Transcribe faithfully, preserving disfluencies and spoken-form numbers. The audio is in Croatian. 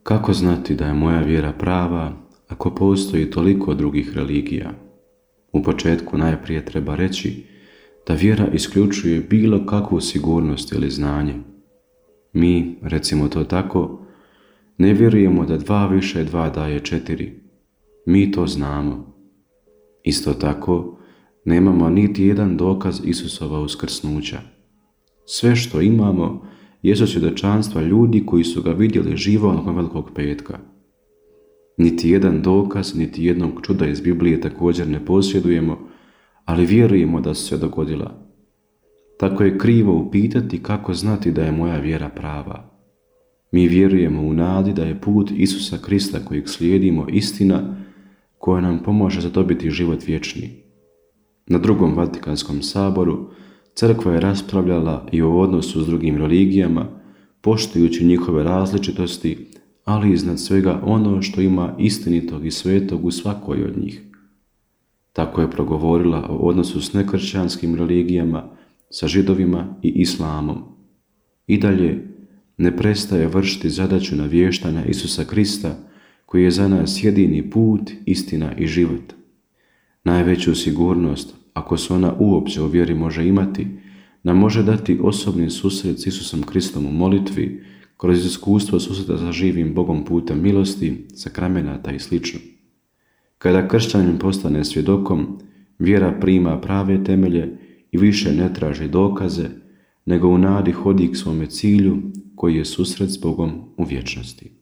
Kako znati da je moja vjera prava ako postoji toliko drugih religija? U početku najprije treba reći da vjera isključuje bilo kakvu sigurnost ili znanje. Mi, recimo to tako, ne vjerujemo da dva više dva daje četiri. Mi to znamo. Isto tako, nemamo niti jedan dokaz Isusova uskrsnuća. Sve što imamo jesu svjedočanstva ljudi koji su ga vidjeli živo nakon Velikog petka. Niti jedan dokaz, niti jednog čuda iz Biblije također ne posjedujemo, ali vjerujemo da su se dogodila. Tako je krivo upitati kako znati da je moja vjera prava. Mi vjerujemo u nadi da je put Isusa Krista kojeg slijedimo istina koja nam pomaže zadobiti život vječni. Na drugom Vatikanskom saboru crkva je raspravljala i o odnosu s drugim religijama, poštujući njihove različitosti, ali iznad svega ono što ima istinitog i svetog u svakoj od njih. Tako je progovorila o odnosu s nekršćanskim religijama, sa Židovima i Islamom. I dalje ne prestaje vršiti zadaću navještanja Isusa Krista, koji je za nas jedini put, istina i život. Najveću sigurnost, ako se ona uopće u vjeri može imati, nam može dati osobni susret s Isusom Kristom u molitvi, kroz iskustvo susreta sa živim Bogom putem milosti, sakramenata i sl. Kada kršćanin postane svjedokom, vjera prima prave temelje i više ne traži dokaze, nego u nadi hodi k svome cilju, koji je susret s Bogom u vječnosti.